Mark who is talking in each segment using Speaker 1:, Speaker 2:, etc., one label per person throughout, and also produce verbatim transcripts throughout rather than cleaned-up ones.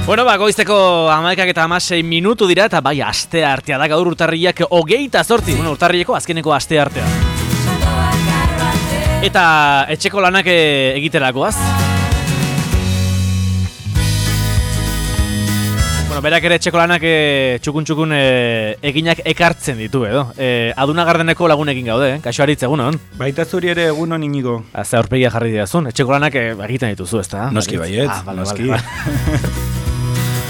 Speaker 1: Bueno, ba, goizteko hamaikak eta hamasei minutu dira, eta bai, aste artea da gaur urtarriak hogeita zortzi, bueno, urtarrieko azkeneko aste artea. Eta etxeko lanak egiterakoaz. Bueno, berak ere etxeko lanak txukun-txukun eginak ekartzen ditu, edo. E, Aduna Gardeneko lagunekin gaude, eh? Kaixo Aritz, egunon?
Speaker 2: Baita zuri ere egunon Inigo.
Speaker 1: Ze aurpegia jarri diazun, etxeko lanak egiten dituzu, ezta?
Speaker 2: Noski baiet,
Speaker 1: ah, vale,
Speaker 2: noski.
Speaker 1: Vale, vale.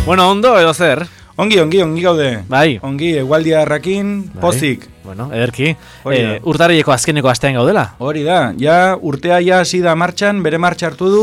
Speaker 1: Bueno, ondo edo zer?
Speaker 2: Ongi, ongi, ongi gaude.
Speaker 1: Bai.
Speaker 2: Ongi, egualdia errakin, bai. Pozik.
Speaker 1: Bueno, ederki. E, urtarrieko azkeneko astean gaudela.
Speaker 2: Hori da, ja urtea ja hasi da martxan, bere martxa hartu du,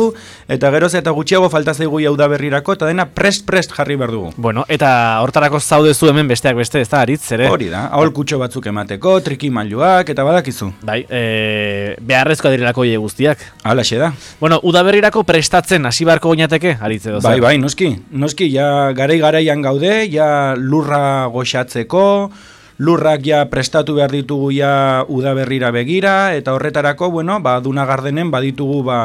Speaker 2: eta geroz eta gutxiago falta zaigu jau da berrirako, eta dena prest-prest jarri behar dugu.
Speaker 1: Bueno, eta hortarako zaudezu hemen besteak beste, ez da, Aritz, ere?
Speaker 2: Hori da, aholkutxo batzuk emateko, trikimailuak, eta badakizu.
Speaker 1: Bai, e, beharrezkoa direlako hile guztiak.
Speaker 2: Halaxe da.
Speaker 1: Bueno, udaberrirako prestatzen hasi beharko goinateke, Aritz edo zer?
Speaker 2: Bai, bai, noski, noski, ja garai-garaian gaude, ja lurra goxatzeko, lurrak ja prestatu behar ditugu ja udaberrira begira, eta horretarako, bueno, ba, Aduna Gardenen baditugu ba,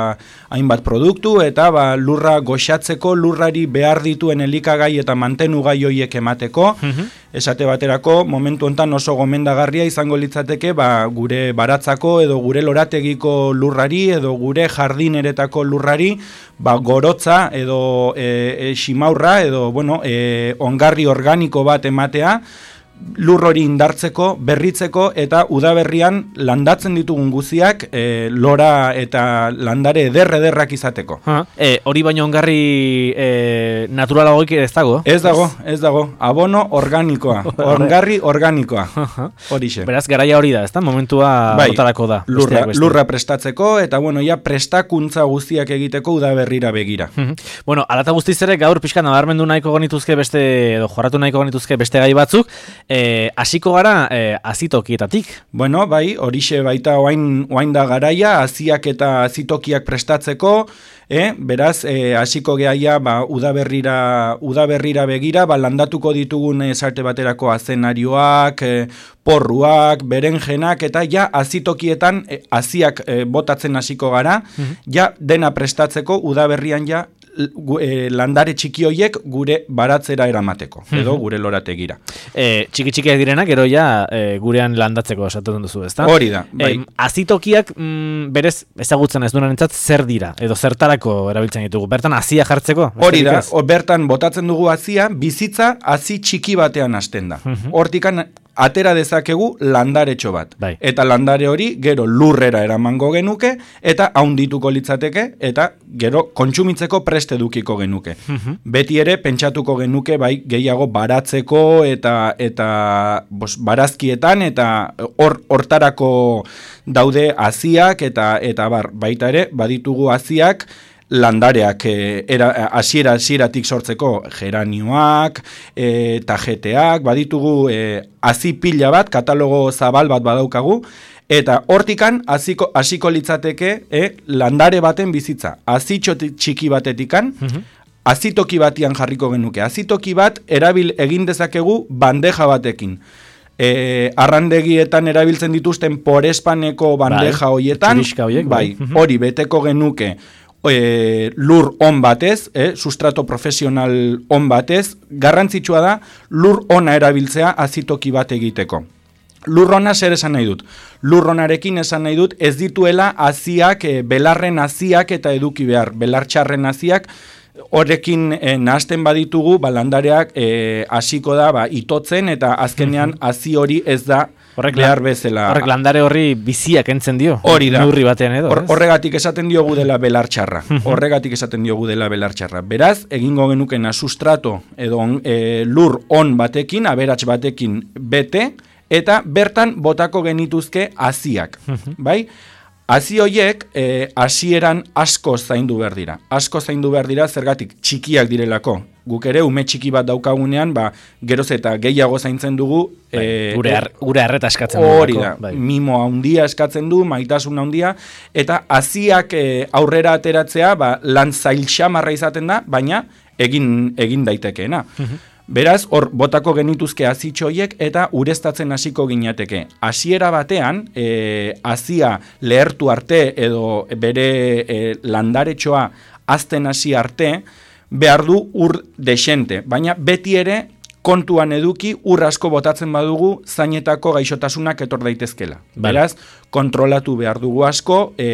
Speaker 2: hainbat produktu, eta ba, lurra goxatzeko, lurrari behar dituen elikagai eta mantenugai hoiek emateko, mm-hmm. Esate baterako, momentu hontan oso gomendagarria izango litzateke, ba, gure baratzako edo gure lorategiko lurrari edo gure jardineretako lurrari, ba, gorotza edo e, e, ximaurra edo, bueno, e, ongarri organiko bat ematea, lur hori indartzeko, berritzeko eta udaberrian landatzen ditugun guziak e, lora eta landare eder-ederrak izateko.
Speaker 1: E, hori baino ongarri e, naturalagoik ez dago?
Speaker 2: Ez dago, ez dago. Abono organikoa, ongarri organikoa. Horixe.
Speaker 1: Beraz, garaia hori da, ez da? Momentua
Speaker 2: bai,
Speaker 1: hortarako da.
Speaker 2: Lurra, lurra prestatzeko eta, bueno, ja prestakuntza guztiak egiteko udaberrira begira.
Speaker 1: Bueno, alata guztiz ere gaur pixka nabarmendu nahiko genituzke beste, edo jorratu nahiko genituzke beste gai batzuk, hasiko e, gara e, azitokietatik.
Speaker 2: Bueno, bai, horixe baita oain, oain da garaia, aziak eta azitokiak prestatzeko, e, beraz, hasiko e, gehaia ba, udaberrira, udaberrira begira, ba, landatuko ditugun esarte baterako azenarioak, e, porruak, berenjenak, eta ja azitokietan e, aziak e, botatzen hasiko gara, mm-hmm. ja dena prestatzeko udaberrian ja E, landare txiki hoiek gure baratzera eramateko, edo gure lorategira.
Speaker 1: E, txiki txikiak direnak, gero ja e, gurean landatzeko esaten duzu, ezta?
Speaker 2: Hori da, bai.
Speaker 1: E, azitokiak mm, berez ezagutzen ez duenentzat zer dira, edo zertarako erabiltzen ditugu. Bertan azia jartzeko?
Speaker 2: Hori da, o, bertan botatzen dugu azia, bizitza hazi txiki batean hasten da. Hortikan atera dezakegu landaretxo bat.
Speaker 1: Bai.
Speaker 2: Eta landare hori gero lurrera eramango genuke, eta haundituko litzateke, eta gero kontsumitzeko preste dukiko genuke. Uh-huh. Beti ere pentsatuko genuke bai gehiago baratzeko eta eta bos, barazkietan eta hor hortarako daude haziak eta eta bar, baita ere baditugu haziak landareak hasiera e, hasieratik sortzeko geranioak, e, tajeteak, baditugu e, hazi pila bat, katalogo zabal bat badaukagu, eta hortikan hasiko hasiko litzateke e, landare baten bizitza. Hazitxo txiki batetikan, mm-hmm. hazitoki batian jarriko genuke. Hazitoki bat erabil egin dezakegu bandeja batekin. E, arrandegietan erabiltzen dituzten porespaneko bandeja bai, hoietan,
Speaker 1: hoiek,
Speaker 2: bai, bai. Hori beteko genuke E, lur on batez, eh, sustrato profesional on batez, garrantzitsua da lur ona erabiltzea azitoki bat egiteko. Lur ona zer esan nahi dut? Lur onarekin esan nahi dut ez dituela haziak, e, belarren haziak eta eduki behar, belartxarren haziak, horrekin e, nahazten baditugu, ba, landareak hasiko e, da ba, itotzen eta azkenean hazi hori ez da Horrek, behar bezala.
Speaker 1: Horrek landare horri biziak entzen dio.
Speaker 2: Hori da.
Speaker 1: Neurri batean edo.
Speaker 2: Hor, horregatik esaten diogu dela belartxarra. Horregatik esaten diogu dela belartxarra. Beraz, egingo genukena sustrato edo e, lur on batekin, aberats batekin bete, eta bertan botako genituzke haziak. Bai? Hazi horiek e, hasieran asko zaindu behar dira. Asko zaindu behar dira zergatik txikiak direlako. Guk ere ume txiki bat daukagunean, ba, geroz eta gehiago zaintzen dugu.
Speaker 1: Bai, e, gure, ar, gure arreta eskatzen du.
Speaker 2: Hori da, bai. Mimo handia eskatzen du, maitasun handia, eta haziak e, aurrera ateratzea, ba, lan zail xamarra izaten da, baina egin, egin daitekeena. Beraz, hor botako genituzke hazitxoiek eta ureztatzen hasiko ginateke. Hasiera batean, e, hazia lehertu arte edo bere e, landaretxoa hazten hasi arte, behar du ur desente, baina beti ere kontuan eduki ur asko botatzen badugu zainetako gaixotasunak etor daitezkela. Beraz, kontrolatu behar dugu asko, e,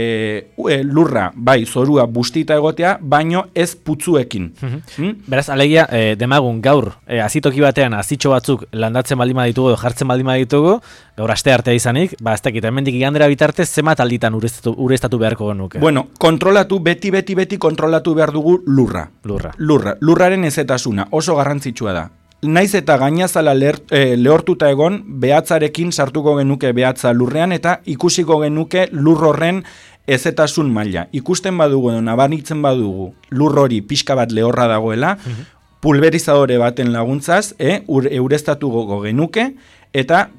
Speaker 2: e, lurra, bai, zorua bustita egotea, baino ez putzuekin.
Speaker 1: Mm-hmm. hmm? Beraz, alegia, e, demagun gaur, e, azitoki batean azitxo batzuk landatzen baldin baditugu, jartzen baldin baditugu, gaur aste artea izanik, ba, ez dakit, hemendik igandera bitarte, zemat alditan ureztatu, ureztatu beharko genuke?
Speaker 2: Bueno, kontrolatu, beti, beti, beti kontrolatu behar dugu lurra.
Speaker 1: Lurra.
Speaker 2: Lurra. Lurraren ezetasuna, oso garrantzitsua da. Naiz eta gainazala leher, e, lehortuta egon, behatzarekin sartuko genuke behatza lurrean, eta ikusiko genuke lur horren ezetasun maila. Ikusten badugu edo nabaritzen badugu lur hori pixka bat lehorra dagoela, mm-hmm. pulverizadore baten laguntzaz, e, ur, eureztatuko genuke, eta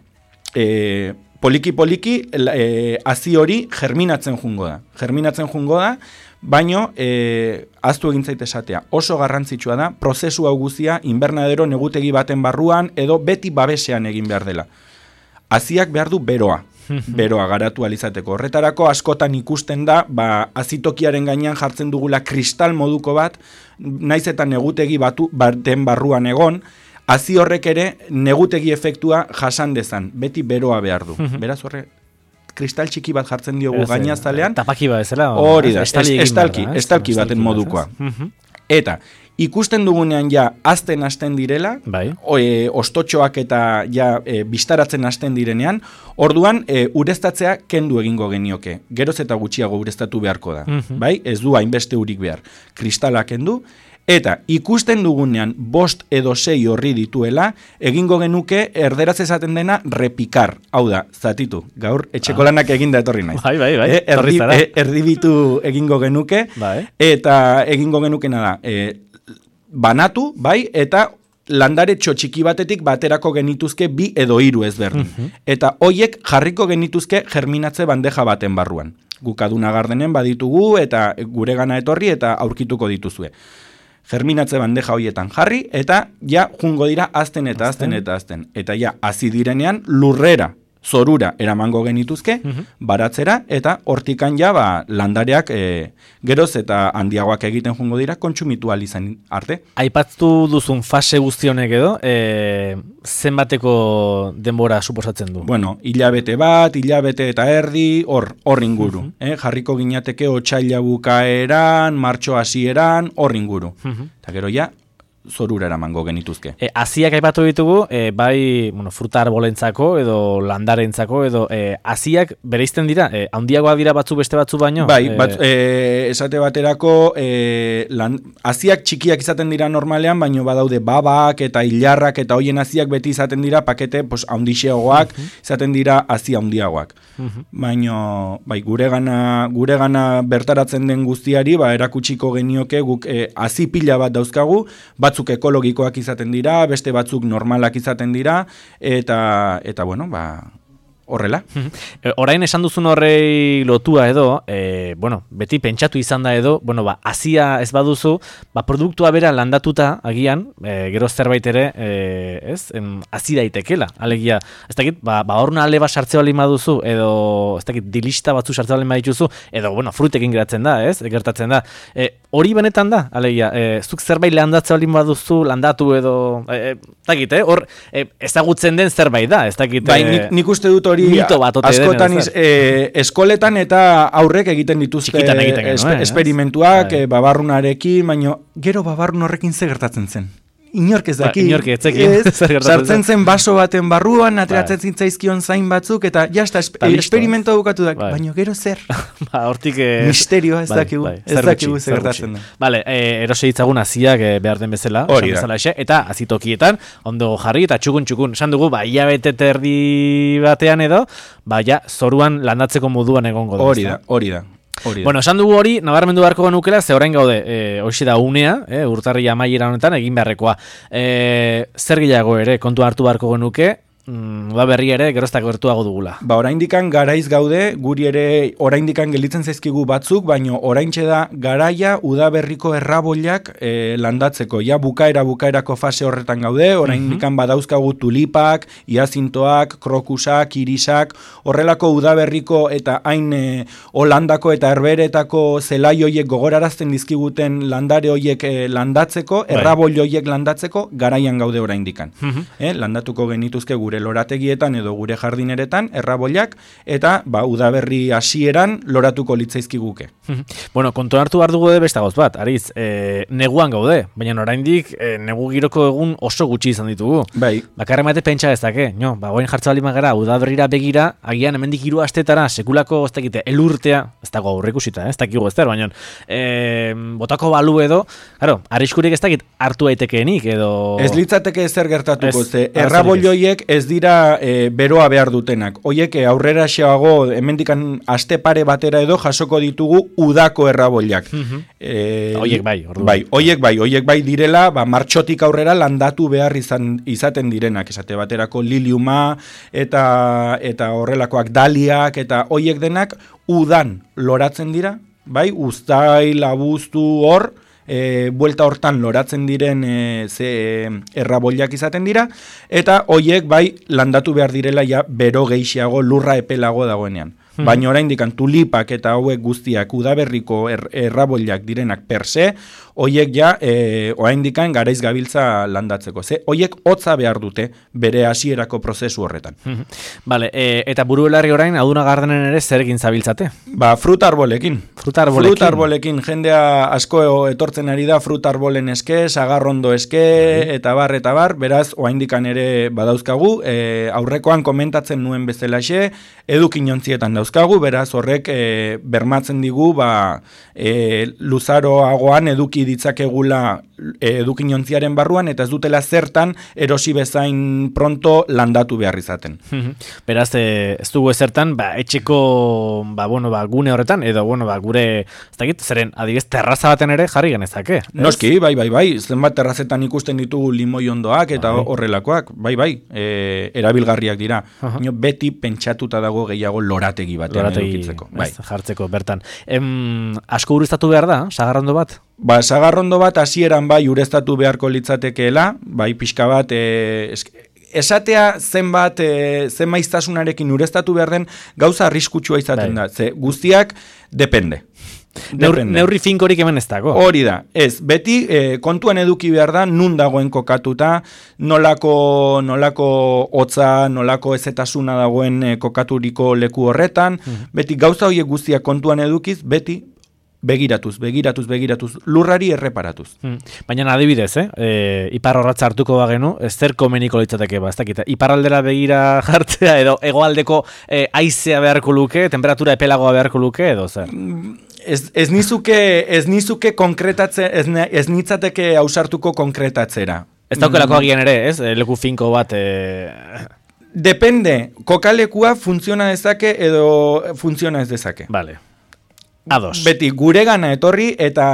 Speaker 2: e, poliki-poliki e, hazi hori germinatzen jungo da. Germinatzen jungo da, baino, e, aztu egin zait esatea, oso garrantzitsua da, prozesu hau guzia, invernadero negutegi baten barruan, edo beti babesean egin behar dela. Haziak behar du beroa, beroa garatu alizateko. Horretarako askotan ikusten da, ba, azitokiaren gainean jartzen dugula kristal moduko bat, naiz eta negutegi batu, baten barruan egon, hazi horrek ere negutegi efektua jasan dezan, beti beroa behar du. Beraz horre, kristal txiki bat jartzen diogu gainazalean.
Speaker 1: Tapaki bat ezela?
Speaker 2: Hori da, estalki, estalki baten modukoa. Eta, ikusten dugunean ja azten hasten direla,
Speaker 1: bai.
Speaker 2: e, ostotxoak eta ja e, bistaratzen hasten direnean, orduan e, ureztatzea kendu egingo genioke. Geroz eta gutxiago ureztatu beharko da. Mm-hmm. Bai? Ez du hainbeste urik behar. Kristala kendu, eta ikusten dugunean bost edo sei horri dituela, egingo genuke erderaz esaten dena repikar. Hau da, zatitu, gaur etxeko lanak eginda etorri naiz.
Speaker 1: Bai, bai, bai,
Speaker 2: e, erdi, e, erdibitu egingo genuke,
Speaker 1: bai.
Speaker 2: Eta egingo genukena da, e, banatu, bai, eta landare txiki batetik baterako genituzke bi edo hiru ezberdin. Mm-hmm. Eta hoiek jarriko genituzke germinatze bandeja baten barruan. Gukaduna gardenen baditugu eta gure gana etorri eta aurkituko dituzue. Germinatze bandeja hoietan jarri, eta ja jungo dira azten eta azten eta azten. Eta ja, hazi direnean lurrera, zorura eramango genituzke, uh-huh. baratzera, eta hortikan ja ba, landareak e, geroz eta handiagoak egiten jungo dira, kontsumitu ahal izan arte.
Speaker 1: Aipatzu duzun fase guztionek edo, e, zenbateko denbora suposatzen du?
Speaker 2: Bueno, hilabete bat, hilabete eta erdi, hor, hor inguru. Uh-huh. eh? Jarriko ginateke otsaila bukaeran, martxo hasieran, hor inguru. Uh-huh. Eta gero ja, zorura eramango genituzke.
Speaker 1: E, aziak aipatu ditugu, e, bai, bueno, fruta arbolentzako edo landarentzako edo e, aziak bereizten dira, e, handiagoa dira batzu beste batzu baino?
Speaker 2: Bai, e, bat, e, esate baterako e, lan, aziak txikiak izaten dira normalean, baino badaude babak eta hilarrak eta hoien aziak beti izaten dira pakete pues, handixeagoak, uh-huh. izaten dira azi handiagoak. Uh-huh. Baino, bai, gure gana, gure gana bertaratzen den guztiari, ba, erakutsiko genioke guk e, azi pila bat dauzkagu, batzuk ekologikoak izaten dira, beste batzuk normalak izaten dira, eta, eta bueno, ba, horrela.
Speaker 1: E, orain esan duzun horrei lotua edo, e, bueno, beti pentsatu izan da edo, bueno, ba, azia ez baduzu, ba, produktua bera landatuta agian, e, gero zerbait ere, e, ez, em, azi daitekela, alegia, ez dakit, ba, ba horna ale bat sartze bali baduzu, edo, ez dakit, dilista batzu sartze bali badituzu, edo, bueno, frutekin geratzen da, ez, gertatzen da, e, hori benetan da, alegia, e, zuk zerbait landatze bali baduzu, landatu edo, e, ez dakit, eh, hor, e, ezagutzen den zerbait da, ez dakit,
Speaker 2: bai, nik, nik uste dut hori askotan iz, e, eskoletan eta aurrek egiten dituzte
Speaker 1: egiten
Speaker 2: espe,
Speaker 1: eh,
Speaker 2: esperimentuak e, babarrunarekin, baina gero babarrun horrekin ze gertatzen zen. Inork ez daki.
Speaker 1: Ba, inork etzekin.
Speaker 2: Sartzen zen baso baten barruan, ateratzen zitzaizkion zain batzuk, eta jazta, esp esperimentua bukatu da, baina gero zer.
Speaker 1: Ba, hortik... Eh,
Speaker 2: misterioa ez bai, dakigu, bai, ez dakigu ze gertatzen da.
Speaker 1: Vale, eh, erose ditzagun aziak eh, behar den bezala,
Speaker 2: hori da.
Speaker 1: Bezala exe, eta azitokietan, ondo jarri eta txukun txukun. Esan dugu, ba, hilabete terdi batean edo, ba, ja, zoruan landatzeko moduan egongo da.
Speaker 2: Hori da, hori da. Hori
Speaker 1: bueno, esan dugu hori, nabarmendu beharko genukela, ze orain gaude, e, hoxe da unea, e, urtarri amaiera honetan, egin beharrekoa. E, zer gehiago ere, kontu hartu beharko genuke, mm, udaberri ere geroztak gertuago dugula.
Speaker 2: Ba, oraindikan garaiz gaude, guri ere oraindikan gelditzen zaizkigu batzuk, baino oraintxe da garaia udaberriko erraboiak e, landatzeko. Ja bukaera bukaerako fase horretan gaude, oraindikan badauzkagu tulipak, iazintoak, krokusak, irisak, horrelako udaberriko eta hain e, Holandako eta Herberetako zelai hoiek gogorarazten dizkiguten landare hoiek e, landatzeko, erraboi hoiek landatzeko garaian gaude oraindikan.
Speaker 1: Mhm.
Speaker 2: Eh, landatuko genituzke gure lorategietan edo gure jardineretan erraboiak eta ba udaberri hasieran loratuko litzaizkiguke.
Speaker 1: Bueno, kontuan hartu behar dugu beste gauz bat, Ariz, e, neguan gaude, baina oraindik e, negu giroko egun oso gutxi izan ditugu.
Speaker 2: Bai.
Speaker 1: Bakarren bate pentsa dezake, no, ba, goin jartza bali magara, udaberrira begira, agian hemendik hiru astetara, sekulako, ez dakite, elurtea, ez dago aurreikusita, ez dakigu ez der, baina e, botako balu edo, claro, arriskurik ez dakit hartu daitekeenik edo...
Speaker 2: Ez litzateke ezer gertatuko,
Speaker 1: Ez,
Speaker 2: ze erraboioiek ez dira e, beroa behar dutenak. Hoiek e, aurrera xeago, hemendikan aste pare batera edo jasoko ditugu udako erraboiak. e,
Speaker 1: Hoiek bai, orduan.
Speaker 2: Bai, hoiek bai, hoiek bai direla, ba, martxotik aurrera landatu behar izan, izaten direnak, esate baterako liliuma eta eta horrelakoak daliak eta hoiek denak udan loratzen dira, bai, uztail, abuztu hor, E, buelta hortan loratzen diren e, ze e, erraboiak izaten dira, eta hoiek bai landatu behar direla ja bero gehiago lurra epelago dagoenean. Hmm. Baina oraindikan tulipak eta hauek guztiak udaberriko er, erraboiak direnak per se, hoiek ja e, oraindikan garaiz gabiltza landatzeko. Ze hoiek hotza behar dute bere hasierako prozesu horretan.
Speaker 1: Vale, e, eta burubelarri orain aduna gardenen ere zer egin zabiltzate?
Speaker 2: Ba, fruta arbolekin.
Speaker 1: Fruta arbolekin.
Speaker 2: Fruta arbolekin jendea asko etortzen ari da fruta arbolen eske, sagarrondo eske, bai. eta bar, eta bar, beraz, oraindikan ere badauzkagu, e, aurrekoan komentatzen nuen bezalaxe, edukinontzietan dauzkagu, beraz horrek e, bermatzen digu, ba, e, luzaroagoan eduki ditzakegula edukinontziaren barruan, eta ez dutela zertan erosi bezain pronto landatu behar izaten.
Speaker 1: Beraz, e, ez dugu ezertan, ba, etxeko, ba, bueno, ba, gune horretan, edo, bueno, ba, gure, ez dakit, zeren, adibidez, terraza baten ere jarri genezake.
Speaker 2: Noski, bai, bai, bai, zenbat terrazetan ikusten ditugu limoi ondoak eta bai. Horrelakoak, bai, bai, e, erabilgarriak dira. Uh-huh. Beti pentsatuta dago gehiago lorategi batean lorategi, edukitzeko. Bai.
Speaker 1: Ez, jartzeko, bertan. Em, asko ureztatu behar da, sagarrondo bat?
Speaker 2: Ba, sagarrondo bat hasieran bai ureztatu beharko litzatekeela, bai pixka bat, e, esk, esatea zenbat, e, zen maiztasunarekin ureztatu behar den gauza arriskutsua izaten bai. Da, ze guztiak depende.
Speaker 1: Neurri, neurri finkorik hemen ez dago.
Speaker 2: Hori da, ez, beti e, kontuan eduki behar da, nun dagoen kokatuta, nolako, nolako hotza, nolako ezetasuna dagoen e, kokaturiko leku horretan, mm. beti gauza horiek guztiak kontuan edukiz, beti begiratuz, begiratuz, begiratuz, lurrari erreparatuz. Hmm.
Speaker 1: Baina adibidez, eh? E, ipar horratza hartuko bagenu, ez zer komeniko litzateke, ba, ez dakita. Iparraldera begira jartzea, edo hegoaldeko e, haizea beharko luke, temperatura epelagoa beharko luke, edo zer?
Speaker 2: Ez, ez nizuke, ez nizuke konkretatze, ez, ez nitzateke ausartuko konkretatzera.
Speaker 1: Ez daukelako agian ere, ez? Leku finko bat... E...
Speaker 2: Depende, kokalekua funtziona dezake edo funtziona ez dezake.
Speaker 1: Vale. Ados.
Speaker 2: Beti gure gana etorri eta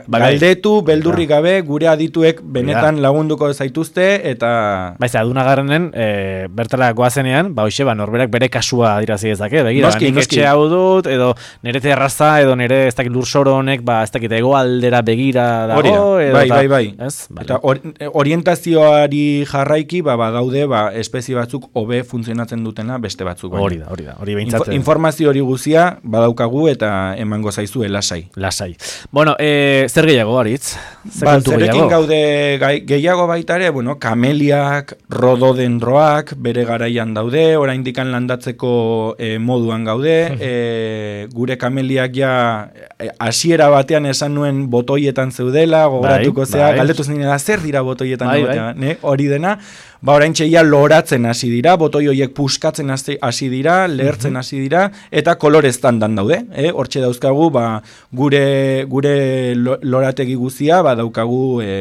Speaker 2: bai, galdetu, beldurri gabe, gure adituek benetan ja. Lagunduko zaituzte eta...
Speaker 1: Baiz, aduna garrenen, e, bertara goazenean, ba hoxe, ba, norberak bere kasua adirazi dezake, begira, noski, nik noski. Etxe hau dut, edo nire terraza, edo nire ez dakit lursoro honek, ba, ez dakit egoaldera begira dago, edo...
Speaker 2: Bai, bai, bai.
Speaker 1: Ez? Vale.
Speaker 2: Eta or, orientazioari jarraiki, ba, badaude, ba, espezie batzuk hobe funtzionatzen dutena beste batzuk. Baina.
Speaker 1: Hori da, hori da, hori behintzat...
Speaker 2: Info, informazio hori guzia badaukagu eta emango zaizue lasai.
Speaker 1: Lasai. Bueno, e, zer gehiago, Aritz? Zer
Speaker 2: ba, zerekin gaude gai, gehiago baita ere, bueno, kameliak, rododendroak, bere garaian daude, oraindikan landatzeko e, moduan gaude, e, gure kameliak ja hasiera e, batean esan nuen botoietan zeudela, gogoratuko bai, zea, bai. Galdetu zinela, zer dira botoietan bai, bai. Ne? Hori dena, ba oraintxe ja loratzen hasi dira, botoi horiek puskatzen hasi dira, lehertzen hasi dira, eta koloreztan dan daude, eh? Hortxe dauzkagu, ba, gure, gure lorategi guzia, ba, daukagu e,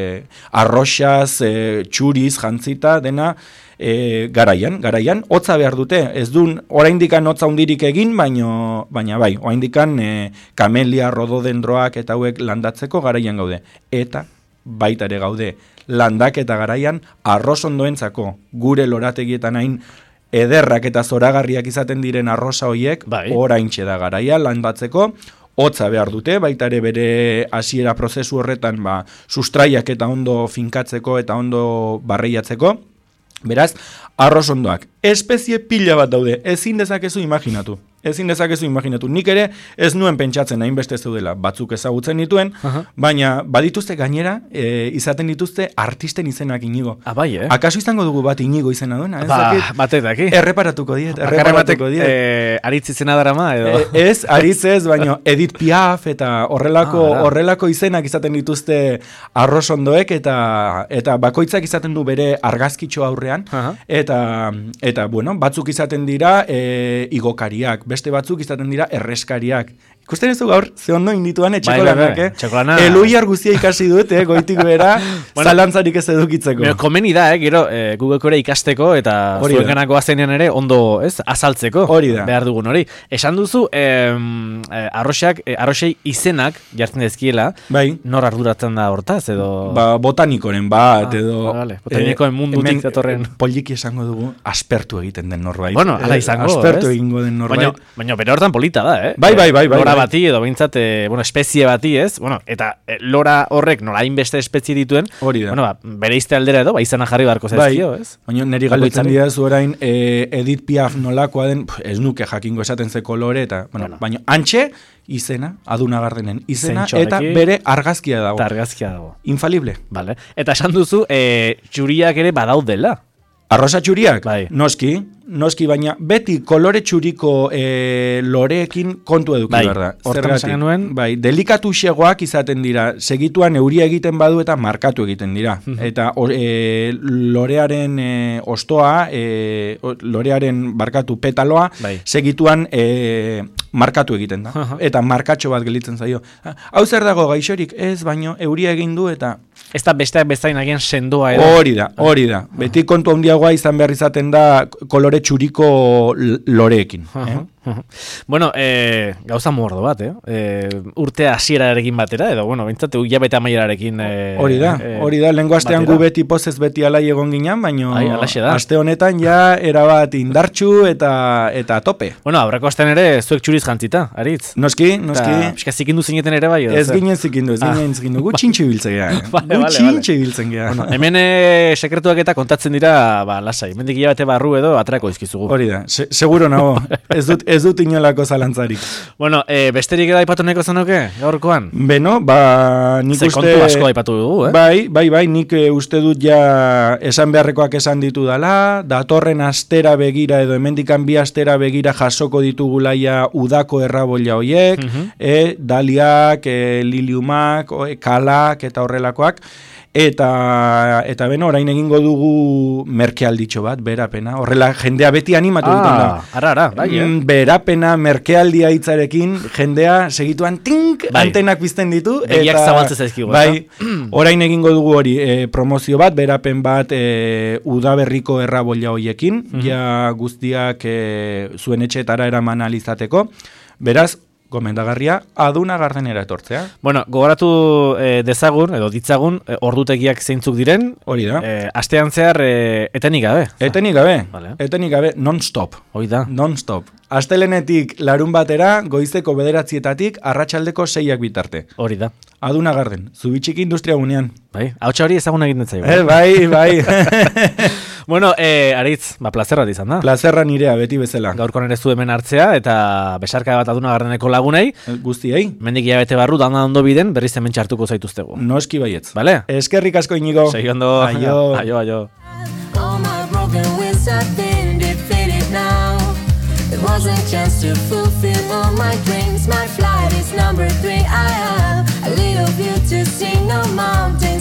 Speaker 2: arroxaz, e, txuriz, jantzita, dena, e, garaian, garaian, hotza behar dute, ez dun, oraindikan hotza hundirik egin, baino, baina bai, oraindikan e, kamelia, rododendroak eta hauek landatzeko garaian gaude, eta baita ere gaude landaketa garaian arrosondoentzako gure lorategietan hain ederrak eta zoragarriak izaten diren arrosa hoiek,
Speaker 1: bai.
Speaker 2: Oraintxe da garaia landatzeko, hotza behar dute, baita ere bere hasiera prozesu horretan ba, sustraiak eta ondo finkatzeko eta ondo barreiatzeko. Beraz, arrosondoak, espezie pila bat daude, ezin dezakezu imaginatu. Ezin dezakezu imaginatu. Nik ere ez nuen pentsatzen hainbeste zeudela, batzuk ezagutzen dituen, uh-huh. baina badituzte gainera, e, izaten dituzte artisten izenak Inigo.
Speaker 1: Ah, bai, eh?
Speaker 2: Akaso izango dugu bat Inigo izena duena?
Speaker 1: Ba, batek daki.
Speaker 2: Erreparatuko diet, erreparatuko diet.
Speaker 1: Eh, aritz izena darama, edo?
Speaker 2: E, ez, aritz ez, baina Edith Piaf eta horrelako, ah, horrelako izenak izaten dituzte arrosondoek eta, eta bakoitzak izaten du bere argazkitxo aurrean, uh-huh. eta, eta bueno, batzuk izaten dira e, igokariak, beste batzuk izaten dira erreskariak. Ikusten ez du gaur, ze ondo indituan etxeko lanak, eh?
Speaker 1: Txekolana...
Speaker 2: Eluiar guztia ikasi dut, eh? Goitik bera, bueno, zalantzarik ez edukitzeko.
Speaker 1: Pero, komeni da, eh? Gero, eh, Googleeko ere ikasteko, eta zuen ganako azenean ere, ondo, ez, azaltzeko.
Speaker 2: Hori da.
Speaker 1: Behar dugun hori. Esan duzu, eh, eh, arroxak, eh, arroxei izenak jartzen dezkiela,
Speaker 2: bai.
Speaker 1: Nor arduratzen da hortaz, edo...
Speaker 2: Ba, botanikoren bat, ah, edo...
Speaker 1: Vale. Botanikoen eh, mundutik datorren...
Speaker 2: Poliki esango dugu, aspertu egiten den norbait.
Speaker 1: Bueno, ala izango,
Speaker 2: eh, aspertu egingo den norbait.
Speaker 1: Baina, baina bere hortan polita da, eh?
Speaker 2: Bai, bai, bai, bai.
Speaker 1: Lora bati, edo behintzat, eh, bueno, espezie bati, ez? Bueno, eta eh, lora horrek nola hainbeste espezie dituen,
Speaker 2: hori da.
Speaker 1: Bueno, ba, bere izte aldera edo, ba, izana jarri beharko zaizkio, ez?
Speaker 2: Baina niri galdetzen dira zu orain, eh, Edith Piaf nolakoa den, ez nuke jakingo esaten ze kolore, eta, bueno, bueno. Baina antxe, izena, Aduna Gardenen izena, eta bere argazkia dago.
Speaker 1: Eta argazkia dago.
Speaker 2: Infalible.
Speaker 1: Vale. Eta esan duzu, eh, txuriak ere badaudela.
Speaker 2: Arrosa txuriak?
Speaker 1: Bai.
Speaker 2: Noski, noski, baina beti kolore txuriko e, loreekin kontu eduki
Speaker 1: bai.
Speaker 2: behar da.
Speaker 1: Hortan esan genuen?
Speaker 2: Bai, delikatu xegoak izaten dira, segituan euria egiten badu eta markatu egiten dira. Eta e, lorearen e, ostoa, e, lorearen barkatu petaloa, bai. segituan e, markatu egiten da. Eta markatxo bat gelitzen zaio. Hau zer dago gaixorik? Ez, baino euria egin du eta...
Speaker 1: Ez da besteak bezain agian sendoa edo.
Speaker 2: Hori da, hori da. Beti kontu handiagoa izan behar izaten da kolore txuriko loreekin. Eh?
Speaker 1: Bueno, eh, gauza mordo bat, eh? eh urte hasierarekin batera, edo, bueno, bintzate, hilabete amaierarekin... Eh,
Speaker 2: hori da, hori da, lehenko astean gu beti pozez beti alai egon ginen, baina aste honetan ja erabat indartxu eta eta tope.
Speaker 1: Bueno, aurreko astean ere zuek txuriz jantzita, Aritz.
Speaker 2: Noski, noski.
Speaker 1: Piska zikindu zineten ere bai, edo?
Speaker 2: Ez ginen zikindu, ez ginen zikindu, gu txintxe biltzen geha. Gu txintxe biltzen geha.
Speaker 1: Bueno, hemen eh, sekretuak eta kontatzen dira, ba, lasai, mendik hilabete barru edo atrako izkizugu.
Speaker 2: Hori da, se, seguro nago, ez dut ez dut inolako zalantzarik.
Speaker 1: Bueno, eh, besterik eda aipatu neko zenuke, gaurkoan?
Speaker 2: Beno, ba, nik
Speaker 1: Ze
Speaker 2: uste...
Speaker 1: kontu asko aipatu dugu, eh?
Speaker 2: Bai, bai, bai, nik e, uste dut ja esan beharrekoak esan ditu dala, datorren astera begira edo hemendikan bi astera begira jasoko ditugulaia udako errabolla hoiek, uh-huh. e, daliak, e, liliumak, e, kalak eta horrelakoak, Eta, eta beno, orain egingo dugu merkealditxo bat, berapena. Horrela, jendea beti animatu
Speaker 1: ah,
Speaker 2: egiten da.
Speaker 1: Ara, ara, bai, eh?
Speaker 2: Berapena, merkealdia hitzarekin, jendea segituan tink, bai. Antenak pizten ditu.
Speaker 1: Begiak zabaltzen zaizkigu.
Speaker 2: Bai, orain egingo dugu hori, e, promozio bat, berapen bat, e, udaberriko errabolla hoiekin, mm-hmm. ja guztiak e, zuen etxetara eraman alizateko. Beraz, gomendagarria, Aduna Gardenera etortzea.
Speaker 1: Bueno, gogoratu eh, dezagun, edo ditzagun, eh, ordutegiak zeintzuk diren.
Speaker 2: Hori da.
Speaker 1: Eh, astean zehar eh, etenik gabe.
Speaker 2: Etenik gabe,
Speaker 1: vale.
Speaker 2: etenik gabe, non-stop.
Speaker 1: Hori da.
Speaker 2: Non-stop. Astelenetik larun batera, goizeko bederatzietatik, arratsaldeko seiak bitarte.
Speaker 1: Hori da.
Speaker 2: Aduna Garden, Zubitxiki Industria gunean.
Speaker 1: Bai, hautsa hori ezagun egin detzai.
Speaker 2: Eh, bai, bai.
Speaker 1: Bueno, eh, Aritz, ba, plazerra izan da.
Speaker 2: Plazerra nirea, beti bezala.
Speaker 1: Gaurko nire zu hemen hartzea, eta besarka bat Aduna Gardeneko lagunei.
Speaker 2: Guztiei.
Speaker 1: Mendik hilabete barru, danda ondo biden, berriz hemen txartuko zaituztegu.
Speaker 2: Noski baietz.
Speaker 1: Vale?
Speaker 2: Eskerrik asko Inigo.
Speaker 1: Segi ondo.
Speaker 2: Aio.
Speaker 1: Aio, aio.
Speaker 3: All my broken wings have been defeated now. It wasn't chance to fulfill all my dreams. My flight is number three. I have a little view to see, no mountains.